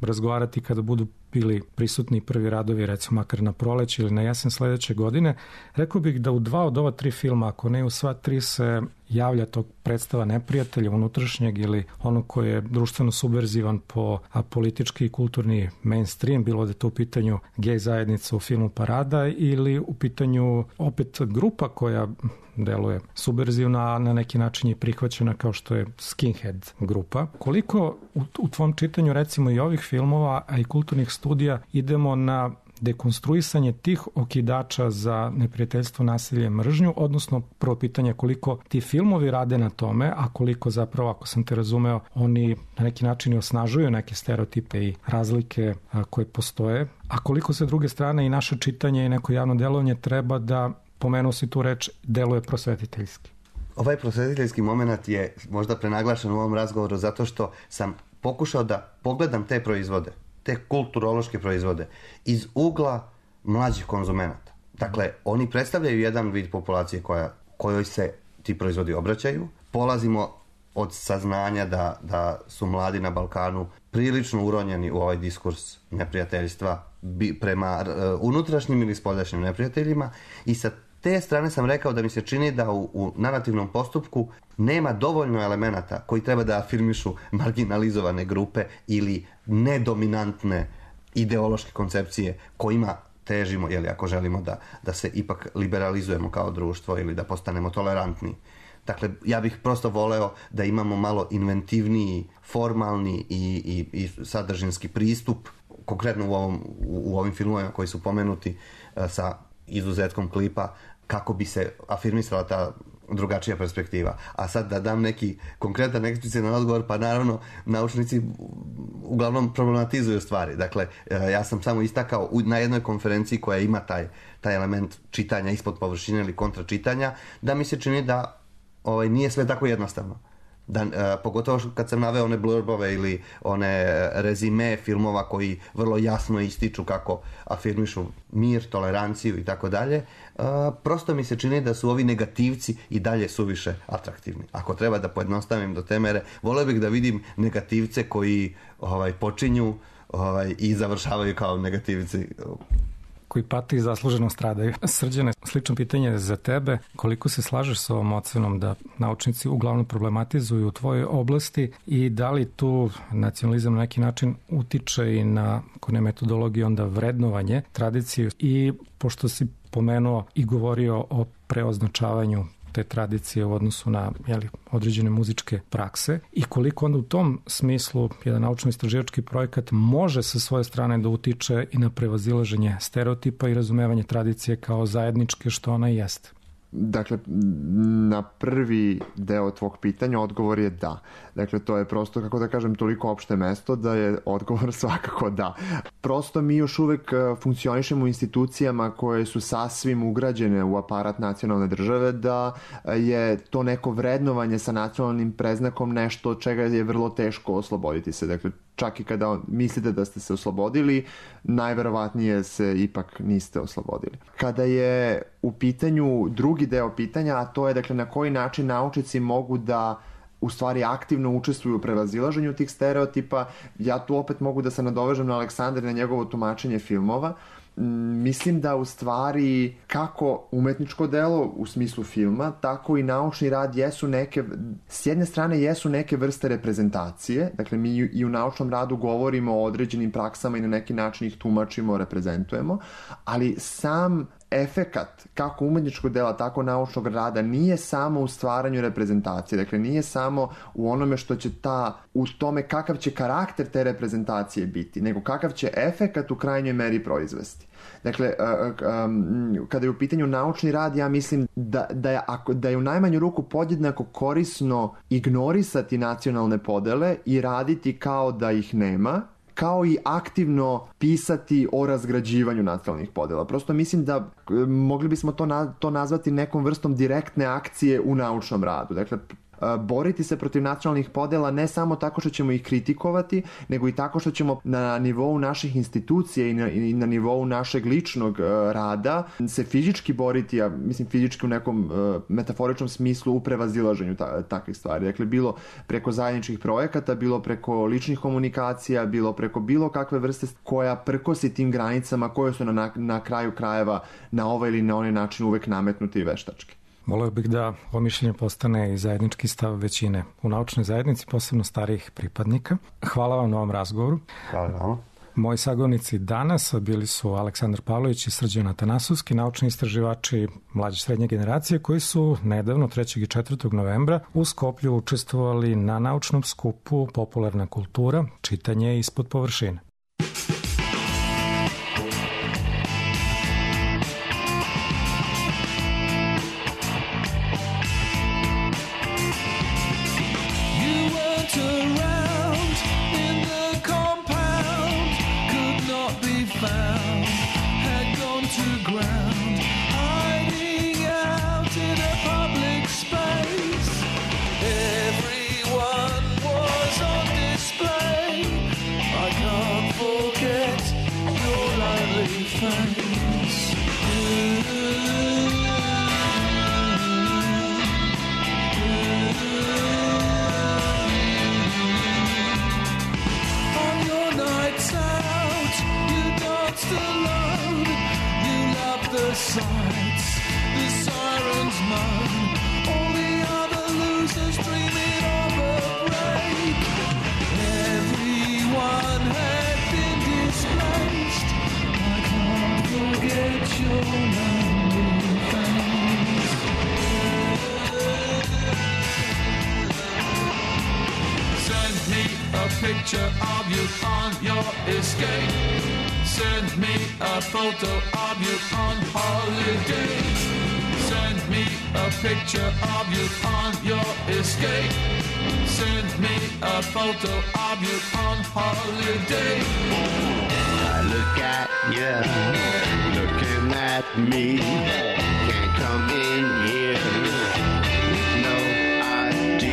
razgovarati kada budu bili prisutni prvi radovi, recimo makar na proleće ili na jesen sledeće godine. Rekao bih da u 2 od ova 3 filma, ako ne u sva 3, se javlja tog predstava neprijatelja unutrašnjeg ili onog koji je društveno subverzivan po politički i kulturni mainstream, bilo da je to u pitanju gej zajednica u filmu Parada ili u pitanju opet grupa koja deluje subverzivna, na neki način je prihvaćena kao što je skinhead grupa. Koliko u tvom čitanju recimo i ovih filmova, a i kulturnih studija idemo na dekonstruisanje tih okidača za neprijateljstvo, nasilje, mržnju, odnosno prvo pitanje koliko ti filmovi rade na tome, a koliko zapravo, ako sam te razumeo, oni na neki način osnažuju neke stereotipe i razlike koje postoje, a koliko se druge strane i naše čitanje i neko javno delovanje treba da, pomenuo si tu reč, deluje prosvetiteljski. Ovaj prosvetiteljski moment je možda prenaglašen u ovom razgovoru zato što sam pokušao da pogledam te proizvode, te kulturološke proizvode iz ugla mlađih konzumenata. Dakle, oni predstavljaju jedan vid populacije kojoj se ti proizvodi obraćaju. Polazimo od saznanja da su mladi na Balkanu prilično uronjeni u ovaj diskurs neprijateljstva prema unutrašnjim ili spoljašnjim neprijateljima i sa te strane sam rekao da mi se čini da u narativnom postupku nema dovoljno elemenata koji treba da afirmišu marginalizovane grupe ili nedominantne ideološke koncepcije kojima težimo, ako želimo da se ipak liberalizujemo kao društvo ili da postanemo tolerantni. Dakle, ja bih prosto voleo da imamo malo inventivniji, formalni i sadržinski pristup, konkretno u ovim filmovima koji su pomenuti sa izuzetkom klipa, kako bi se afirmisala ta drugačija perspektiva. A sad da dam neki konkretan eksplicitan odgovor, pa naravno naučnici uglavnom problematizuju stvari. Dakle, ja sam samo istakao na jednoj konferenciji koja ima taj element čitanja ispod površine ili kontračitanja, da mi se čini da nije sve tako jednostavno. Pogotovo kad sam naveo one blurbove ili one rezime filmova koji vrlo jasno ističu kako afirmišu mir, toleranciju i tako dalje, prosto mi se čini da su ovi negativci i dalje suviše atraktivni. Ako treba da pojednostavim do te mere, voleo bih da vidim negativce koji počinju i završavaju kao negativci koji pati i zasluženo stradaju. Srđane, slično pitanje za tebe. Koliko se slažeš sa ovom ocenom da naučnici uglavnom problematizuju u tvojoj oblasti i da li tu nacionalizam na neki način utiče i na, ako ne metodologiju, onda vrednovanje, tradiciju i pošto si pomenuo i govorio o preoznačavanju te tradicije u odnosu na određene muzičke prakse i koliko onda u tom smislu jedan naučno-istraživački projekat može sa svoje strane da utiče i na prevazilaženje stereotipa i razumevanje tradicije kao zajedničke što ona jeste. Dakle, na prvi deo tvog pitanja odgovor je da. Dakle, to je prosto, kako da kažem, toliko opšte mesto da je odgovor svakako da. Prosto mi još uvek funkcionišemo u institucijama koje su sasvim ugrađene u aparat nacionalne države, da je to neko vrednovanje sa nacionalnim predznakom nešto od čega je vrlo teško osloboditi se. Dakle, čak i kada mislite da ste se oslobodili, najverovatnije se ipak niste oslobodili. Kada je u pitanju drugi deo pitanja, a to je dakle na koji način naučnici mogu da u stvari aktivno učestvuju u prevazilaženju tih stereotipa, ja tu opet mogu da se nadovežem na Aleksandra i na njegovo tumačenje filmova. Mislim da u stvari kako umetničko delo u smislu filma, tako i naučni rad jesu neke, s jedne strane jesu neke vrste reprezentacije, dakle mi i u naučnom radu govorimo o određenim praksama i na neki način ih tumačimo, reprezentujemo, ali sam efekat kako umetničkog dela, tako naučnog rada nije samo u stvaranju reprezentacije, dakle nije samo u onome što će u tome kakav će karakter te reprezentacije biti, nego kakav će efekat u krajnjoj meri proizvesti. Dakle, kada je u pitanju naučni rad, ja mislim da je u najmanju ruku podjednako korisno ignorisati nacionalne podele i raditi kao da ih nema, kao i aktivno pisati o razgrađivanju nacionalnih podela. Prosto mislim da mogli bismo to nazvati nekom vrstom direktne akcije u naučnom radu. Dakle, boriti se protiv nacionalnih podela ne samo tako što ćemo ih kritikovati, nego i tako što ćemo na nivou naših institucija i na nivou našeg ličnog rada se fizički boriti, ja mislim fizički u nekom metaforičnom smislu u prevazilaženju takvih stvari. Dakle, bilo preko zajedničkih projekata, bilo preko ličnih komunikacija, bilo preko bilo kakve vrste koja prkosi tim granicama koje su na kraju krajeva na ovaj ili na onaj način uvek nametnuti i veštački. Voleo bih da ovo mišljenje postane i zajednički stav većine u naučnoj zajednici, posebno starijih pripadnika. Hvala vam na ovom razgovoru. Hvala vam. Moji sagovornici danas bili su Aleksandar Pavlović i Srđan Atanasovski, naučni istraživači mlađe srednje generacije koji su nedavno 3. i 4. novembra u Skoplju učestvovali na naučnom skupu Popularna kultura, čitanje ispod površine. Sights, the All the other losers dreaming of a break. Everyone had been displaced. I can't forget your lonely face. Send me a picture of you on your escape. Send me a photo of you on holiday. Send me a picture of you on your escape. Send me a photo of you on holiday. I look at you, looking at me. Can't come in here with no ID.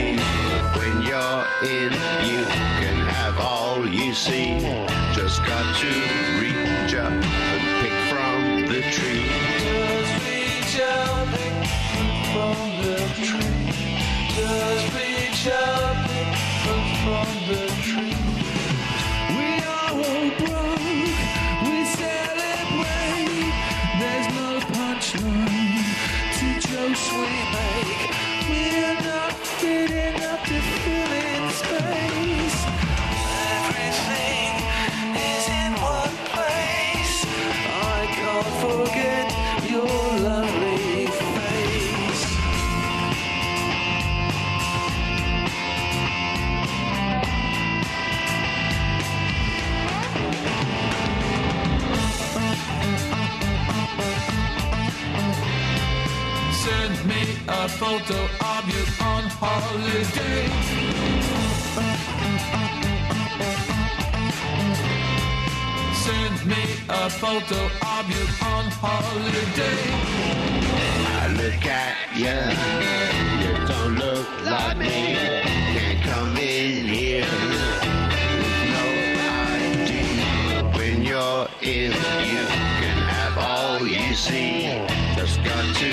When you're in, you can have all you see. Just got to reach up and pick from the tree. Just reach out and pick from the tree. Just reach out and pick from the tree. We are all broke, we celebrate. There's no punchline to jokes we make. We're not good enough to fill in space. Everything is in one place. I can't forget your lovely face. Send me a photo of you on holiday. Send me a photo of you on holiday. I look at you, you don't look like me. Can't come in here with no ID. When you're in, you can have all you see. Just got to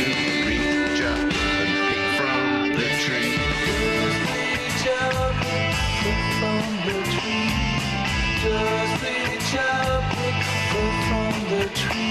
reach up and pick from the tree. Just reach out and pick from the tree. Just reach out and pick from the tree.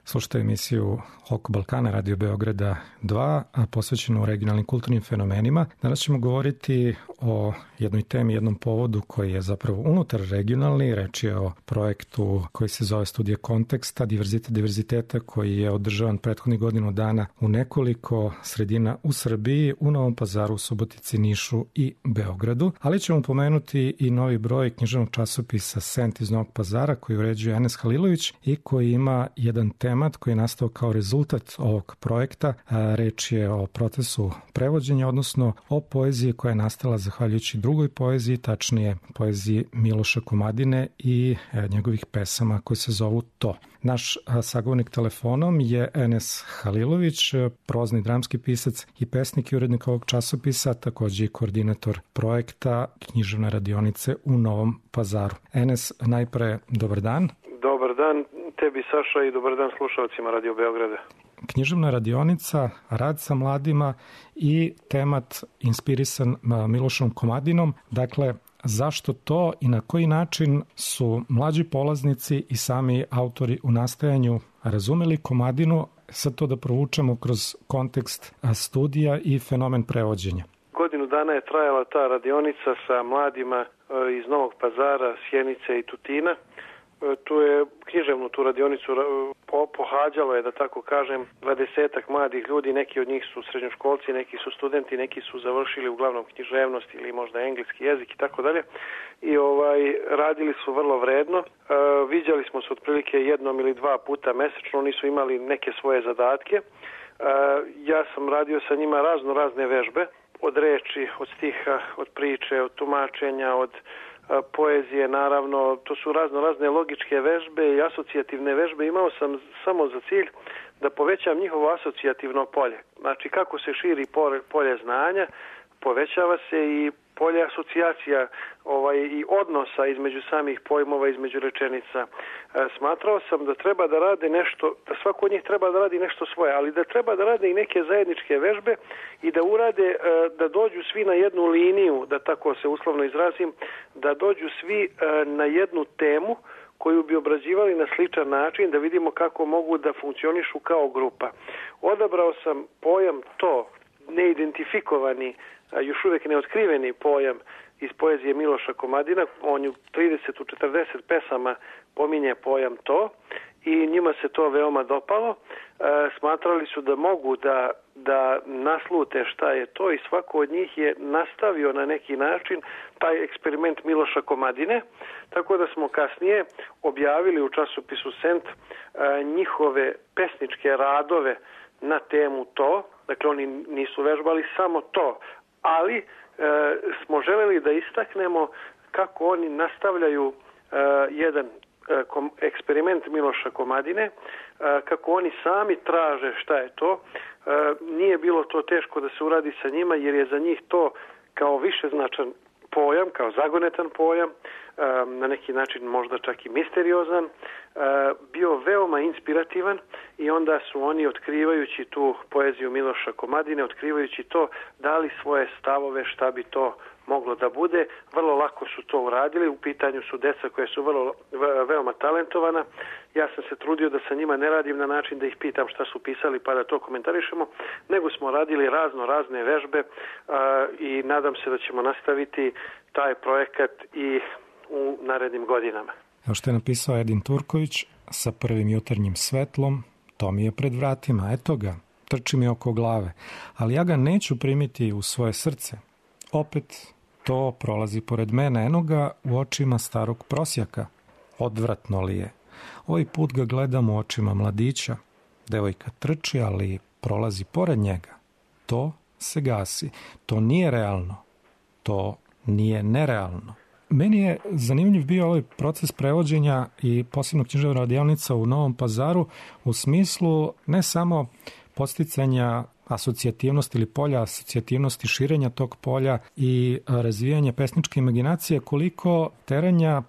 Slušajte emisiju Oko Balkana, Radio Beograda 2, a posvećenu regionalnim kulturnim fenomenima. Danas ćemo govoriti o jednoj temi, jednom povodu koji je zapravo unutar regionalni. Reč je o projektu koji se zove Studija konteksta, diverzitet diverziteta, koji je održavan prethodnih godinu dana u nekoliko sredina u Srbiji, u Novom Pazaru, Subotici, Nišu i Beogradu. Ali ćemo pomenuti i novi broj književnog časopisa Sent iz Novog Pazara koji uređuje Enes Halilović i koji ima jedan temat koji je nastao kao rezultat ovog projekta. Reč je o procesu prevođenja, odnosno o poeziji koja je nastala zahvaljujući drugoj poeziji, tačnije poeziji Miloša Komadine i njegovih pesama koje se zovu To. Naš sagovornik telefonom je Enes Halilović, prozni dramski pisac i pesnik i urednik ovog časopisa, takođe i koordinator projekta Književne radionice u Novom Pazaru. Enes, najpre dobar dan. Dobar dan tebi, Saša, i dobar dan slušalcima Radio Beograda. Književna radionica, rad sa mladima i temat inspirisan Milošom Komadinom. Dakle, zašto to i na koji način su mlađi polaznici i sami autori u nastajanju razumeli Komadinu, sad to da provučemo kroz kontekst studija i fenomen prevođenja? Godinu dana je trajala ta radionica sa mladima iz Novog Pazara, Sjenice i Tutina. Tu je književnu tu radionicu pohađalo je, da tako kažem, 20-ak mladih ljudi, neki od njih su srednjoškolci, neki su studenti, neki su završili uglavnom književnost ili možda engleski jezik i tako dalje. I radili su vrlo vredno. Viđali smo se otprilike jednom ili dva puta mesečno, oni su imali neke svoje zadatke. Ja sam radio sa njima razne vežbe, od reči, od stiha, od priče, od tumačenja, od poezije, naravno, to su razne logičke vežbe i asocijativne vežbe. Imao sam samo za cilj da povećam njihovo asocijativno polje. Znači, kako se širi polje znanja, povećava se i polje asocijacija i odnosa između samih pojmova, između rečenica. Smatrao sam da treba da rade nešto, da svako od njih treba da radi nešto svoje, ali da treba da rade i neke zajedničke vežbe i da urade, da dođu svi na jednu liniju, da tako se uslovno izrazim, da dođu svi na jednu temu koju bi obrađivali na sličan način, da vidimo kako mogu da funkcionišu kao grupa. Odabrao sam pojam to, neidentifikovani, još uvijek neotkriveni pojam iz poezije Miloša Komadina. On u 30-40 pesama pominje pojam to i njima se to veoma dopalo. Smatrali su da mogu da naslute šta je to i svako od njih je nastavio na neki način taj eksperiment Miloša Komadine, tako da smo kasnije objavili u časopisu Sent njihove pesničke radove na temu to. Dakle, oni nisu vežbali samo to, ali smo želeli da istaknemo kako oni nastavljaju jedan eksperiment Miloša Komadine, kako oni sami traže šta je to. Nije bilo to teško da se uradi sa njima, jer je za njih to kao višeznačan pojam, kao zagonetan pojam, na neki način možda čak i misteriozan, bio veoma inspirativan i onda su oni, otkrivajući tu poeziju Miloša Komadine, otkrivajući to, dali svoje stavove šta bi to moglo da bude. Vrlo lako su to uradili, u pitanju su deca koje su veoma talentovana. Ja sam se trudio da sa njima ne radim na način da ih pitam šta su pisali pa da to komentarišemo, nego smo radili razne vežbe i nadam se da ćemo nastaviti taj projekat i u narednim godinama. Evo što je napisao Edin Turković, sa prvim jutarnjim svetlom, to mi je pred vratima, eto ga, trči mi oko glave, ali ja ga neću primiti u svoje srce. Opet to prolazi pored mene, eno ga u očima starog prosjaka. Odvratno li je? Ovaj put ga gledam u očima mladića. Devojka trči, ali prolazi pored njega. To se gasi. To nije realno. To nije nerealno. Meni je zanimljiv bio ovaj proces prevođenja i posebno književna radionica u Novom Pazaru u smislu ne samo podsticanja asocijativnosti ili polja asocijativnosti, širenja tog polja i razvijanja pesničke imaginacije, koliko teranja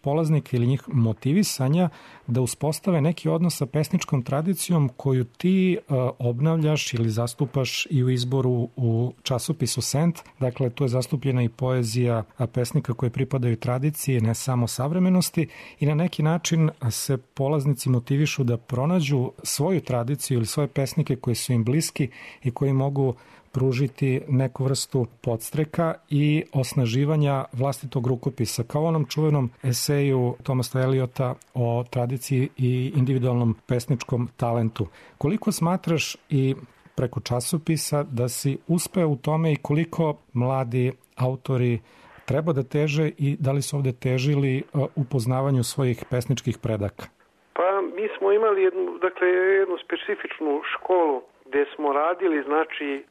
polaznika ili njih motivisanja da uspostave neki odnos sa pesničkom tradicijom koju ti obnavljaš ili zastupaš i u izboru u časopisu Sent. Dakle, tu je zastupljena i poezija pesnika koji pripadaju tradiciji, ne samo savremenosti, i na neki način se polaznici motivišu da pronađu svoju tradiciju ili svoje pesnike koji su im bliski i koji mogu pružiti neku vrstu podstreka i osnaživanja vlastitog rukopisa, kao onom čuvenom eseju Thomasa Eliota o tradiciji i individualnom pesničkom talentu. Koliko smatraš i preko časopisa da si uspeo u tome i koliko mladi autori treba da teže i da li su ovde težili u poznavanju svojih pesničkih predaka? Pa mi smo imali jednu specifičnu školu gde smo radili, znači,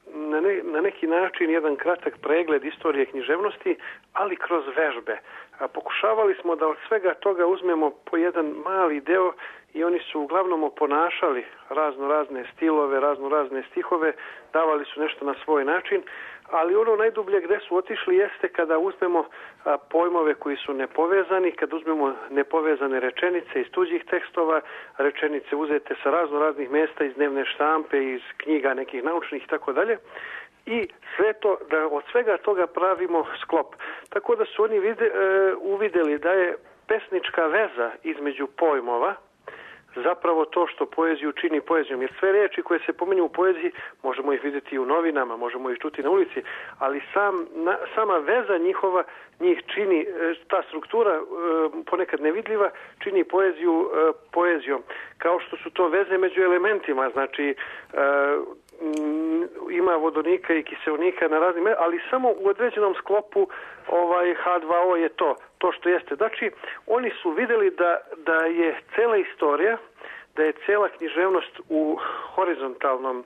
na neki način jedan kratak pregled istorije književnosti, ali kroz vežbe. Pokušavali smo da od svega toga uzmemo po jedan mali deo i oni su uglavnom oponašali razne stilove, razne stihove, davali su nešto na svoj način, ali ono najdublje gde su otišli jeste kada uzmemo pojmove koji su nepovezani, kada uzmemo nepovezane rečenice iz tuđih tekstova, rečenice uzete sa raznih mesta iz dnevne štampe, iz knjiga nekih naučnih i tako dalje, i sve to, da od svega toga pravimo sklop. Tako da su oni uvideli da je pesnička veza između pojmova zapravo to što poeziju čini poezijom. Jer sve reči koje se pominju u poeziji možemo ih vidjeti i u novinama, možemo ih čuti na ulici, ali sama veza njihova njih čini, ta struktura ponekad nevidljiva, čini poeziju poezijom. Kao što su to veze među elementima, znači ima vodonika i kiseonika na raznim, ali samo u određenom sklopu H2O je to što jeste. Znači, oni su vidjeli da je cela istorija, da je cela književnost u horizontalnom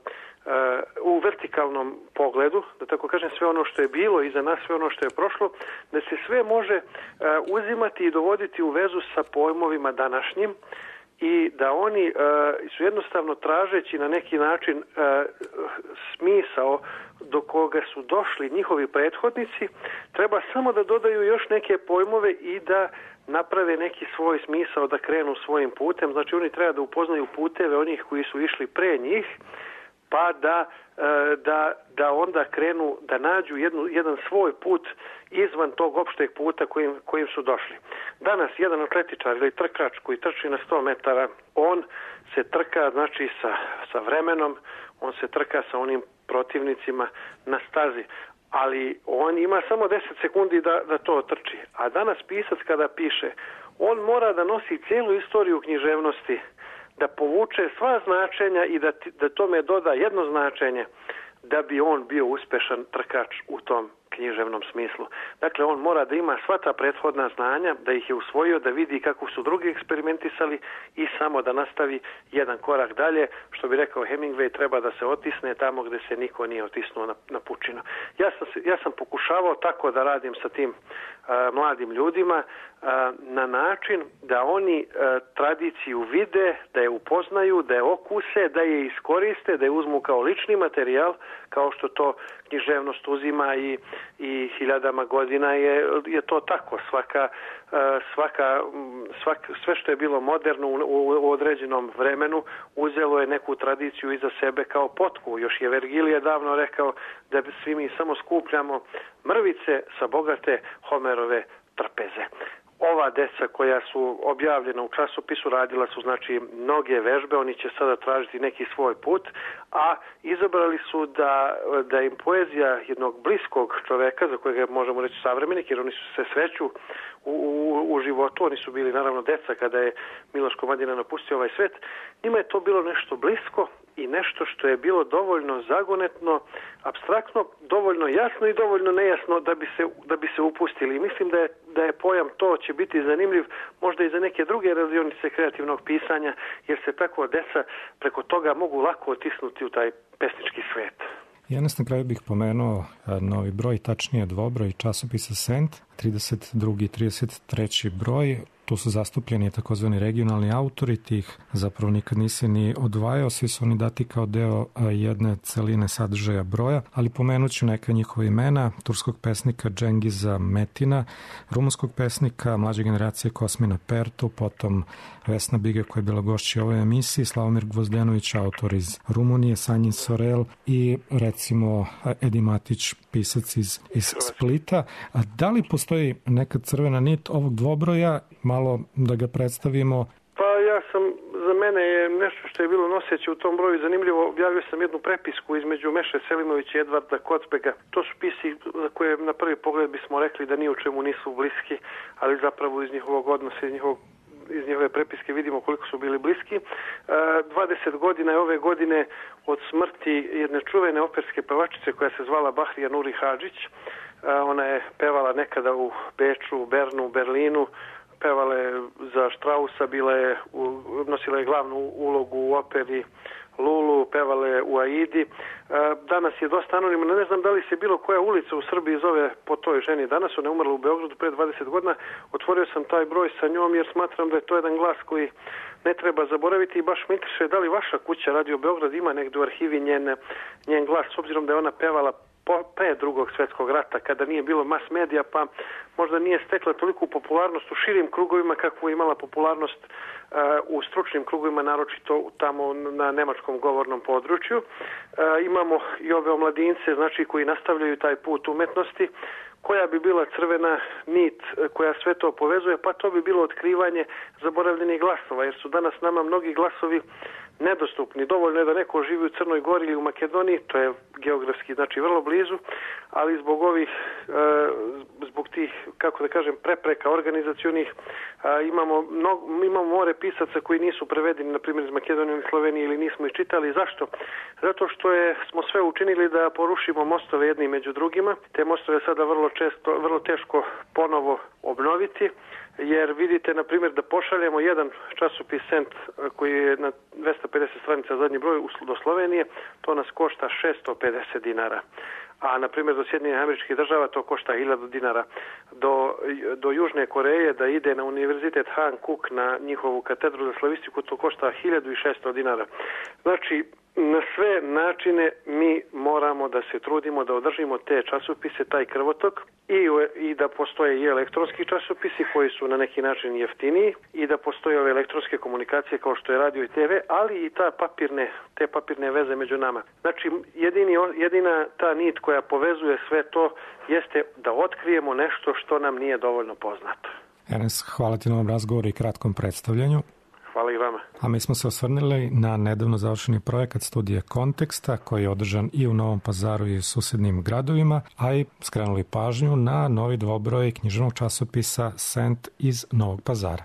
u vertikalnom pogledu, da tako kažem, sve ono što je bilo iza nas, sve ono što je prošlo, da se sve može uzimati i dovoditi u vezu sa pojmovima današnjim i da oni su jednostavno tražeći na neki način smisao do koga su došli njihovi prethodnici, treba samo da dodaju još neke pojmove i da naprave neki svoj smisao, da krenu svojim putem. Znači oni treba da upoznaju puteve onih koji su išli pre njih, pa da onda krenu da nađu jedan svoj put izvan tog opšteg puta kojim su došli. Danas jedan atletičar ili trkač koji trči na 100 metara, on se trka znači sa vremenom, on se trka sa onim protivnicima na stazi, ali on ima samo 10 sekundi da to trči. A danas pisac kada piše, on mora da nosi cijelu istoriju književnosti, da povuče sva značenja i da tome doda jedno značenje da bi on bio uspešan trkač u tom književnom smislu. Dakle, on mora da ima sva ta prethodna znanja, da ih je usvojio, da vidi kako su drugi eksperimentisali i samo da nastavi jedan korak dalje. Što bi rekao Hemingway, treba da se otisne tamo gde se niko nije otisnuo na pučinu. Ja sam pokušavao tako da radim sa tim mladim ljudima na način da oni tradiciju vide, da je upoznaju, da je okuse, da je iskoriste, da je uzmu kao lični materijal, kao što to književnost uzima i hiljadama godina je to tako. Sve što je bilo moderno u određenom vremenu uzelo je neku tradiciju iza sebe kao potku. Još je Vergilije davno rekao da svi mi samo skupljamo mrvice sa bogate Homerove trpeze. Ova deca koja su objavljena u časopisu radila su znači mnoge vežbe, oni će sada tražiti neki svoj put, a izabrali su da im poezija jednog bliskog čoveka, za kojega možemo reći savremenik, jer oni su se sreću u životu, oni su bili naravno deca kada je Miloš Komadina napustio ovaj svet, njima je to bilo nešto blisko i nešto što je bilo dovoljno zagonetno, apstraktno, dovoljno jasno i dovoljno nejasno da bi se upustili. I mislim da je pojam to će biti zanimljiv možda i za neke druge radionice kreativnog pisanja, jer se tako deca preko toga mogu lako otisnuti u taj pesnički svet. Ja nas na kraju bih pomenuo novi broj, tačnije dvobroj časopisa Sent, 32. i 33. broj. Tu su zastupljeni takozvani regionalni autori, tih zapravo nikad nisi ni odvajao, svi su oni dati kao deo jedne celine sadržaja broja, ali pomenut ću neka njihova imena: turskog pesnika Džengiza Metina, rumunskog pesnika mlađe generacije Kosmina Pertu, potom Vesna Biga koja je bila gošća u ovoj emisiji, Slavomir Gvozdenović, autor iz Rumunije, Sanjin Sorel i recimo Edi Matić, pisac iz Splita. A da li postoji neka crvena nit ovog dvobroja, malo da ga predstavimo? Pa za mene je nešto što je bilo noseće u tom broju zanimljivo. Objavio sam jednu prepisku između Meše Selimovića i Edvarda Kocbega. To su pisi za koje na prvi pogled bismo rekli da ni u čemu nisu bliski, ali zapravo iz njihovog odnosa, iz njihove prepiske vidimo koliko su bili bliski. 20 godina je ove godine od smrti jedne čuvene operske pevačice koja se zvala Bahrija Nuri Hadžić. Ona je pevala nekada u Beču, Bernu, Berlinu, pevala je za Strausa, nosila je glavnu ulogu u operi Lulu, pevala je u Aidi. Danas je dosta anonimna, ne znam da li se bilo koja ulica u Srbiji zove po toj ženi. Danas ona je umrla u Beogradu pre 20 godina. Otvorio sam taj broj sa njom jer smatram da je to jedan glas koji ne treba zaboraviti i baš me interesuje da li vaša kuća Radio Beograd ima negdje u arhivi njen glas, s obzirom da je ona pevala pre Drugog svjetskog rata, kada nije bilo mas medija, pa možda nije stekla toliku popularnost u širim krugovima kakvu je imala popularnost u stručnim krugovima, naročito tamo na nemačkom govornom području. Imamo i ove omladince, znači koji nastavljaju taj put umetnosti. Koja bi bila crvena nit koja sve to povezuje? Pa to bi bilo otkrivanje zaboravljenih glasova, jer su danas nama mnogi glasovi nedostupni. Dovoljno je da neko živi u Crnoj Gori ili u Makedoniji, to je geografski znači vrlo blizu, ali zbog tih, kako da kažem, prepreka organizacionih imamo more pisaca koji nisu prevedeni, na primjer iz Makedonije ili Slovenije, ili nismo ih čitali. Zašto? Zato što smo sve učinili da porušimo mostove jedni među drugima. Te mostove sada vrlo teško ponovo obnoviti, jer vidite, na primjer, da pošaljemo jedan časopis Sent koji je na 250 stranica zadnji broj do Slovenije, to nas košta 650 dinara. A, na primjer, do Sjedinjenih Američkih Država to košta 1000 dinara. Do Južne Koreje da ide na univerzitet Han Kuk na njihovu katedru za slavistiku, to košta 1600 dinara. Znači, na sve načine mi moramo da se trudimo da održimo te časopise, taj krvotok i da postoje i elektronski časopisi koji su na neki način jeftiniji i da postoje ove elektronske komunikacije kao što je radio i TV, ali i te papirne veze među nama. Znači, jedina ta nit koja povezuje sve to jeste da otkrijemo nešto što nam nije dovoljno poznato. Ernest, hvala ti na ovom razgovoru i kratkom predstavljanju. Hvala i vama. A mi smo se osvrnili na nedavno završeni projekat studije Konteksta koji je održan i u Novom Pazaru i u susednim gradovima, a i skrenuli pažnju na novi dvobroj književnog časopisa Sent iz Novog Pazara.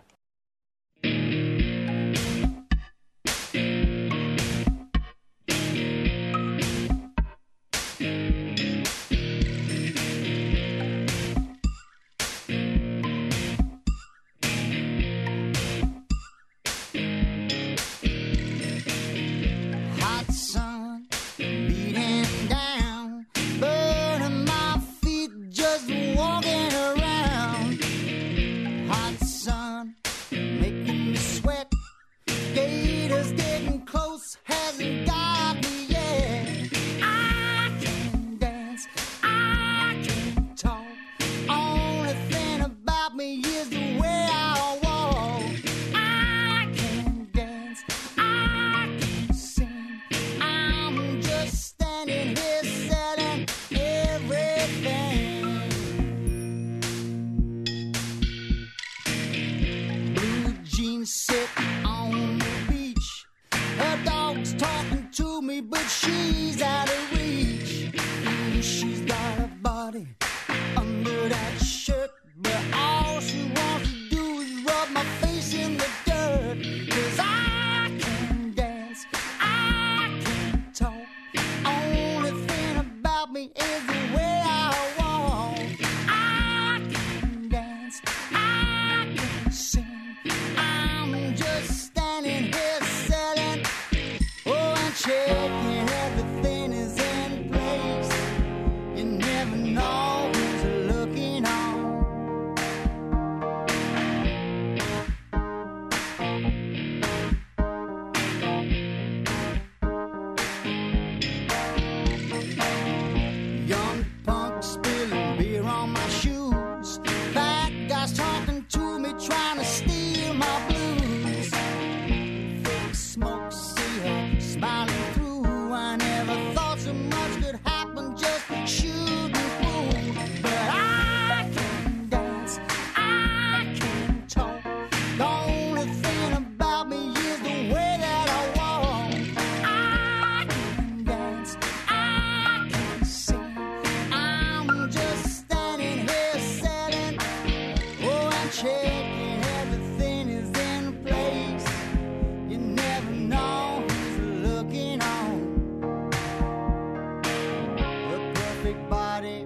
body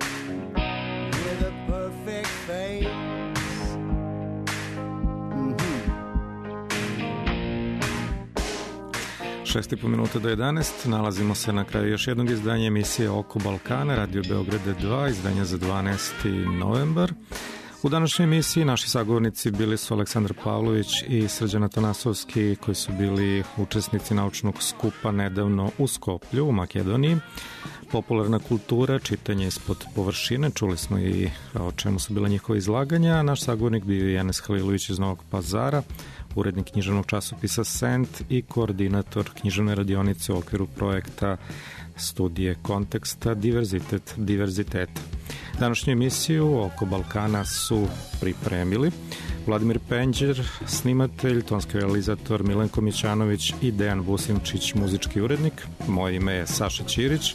with a perfect face. 6,5 minuta do 11. Nalazimo se na kraju još jednog izdanja emisije Oko Balkana, Radio Beograda 2, izdanja za 12. novembar. U današnjoj emisiji naši sagovornici bili su Aleksandar Pavlović i Srđan Atanasovski, koji su bili učesnici naučnog skupa nedavno u Skoplju, u Makedoniji. Popularna kultura, čitanje ispod površine, čuli smo i o čemu su bila njihova izlaganja. Naš sagovornik bio je Enes Halilović iz Novog Pazara, urednik književnog časopisa Sent i koordinator književne radionice u okviru projekta studije Konteksta Diverzitet diverziteta. Današnju emisiju Oko Balkana su pripremili Vladimir Penđer, snimatelj, tonski realizator Milenko Mićanović i Dejan Vusimčić, muzički urednik. Moje ime je Saša Ćirić.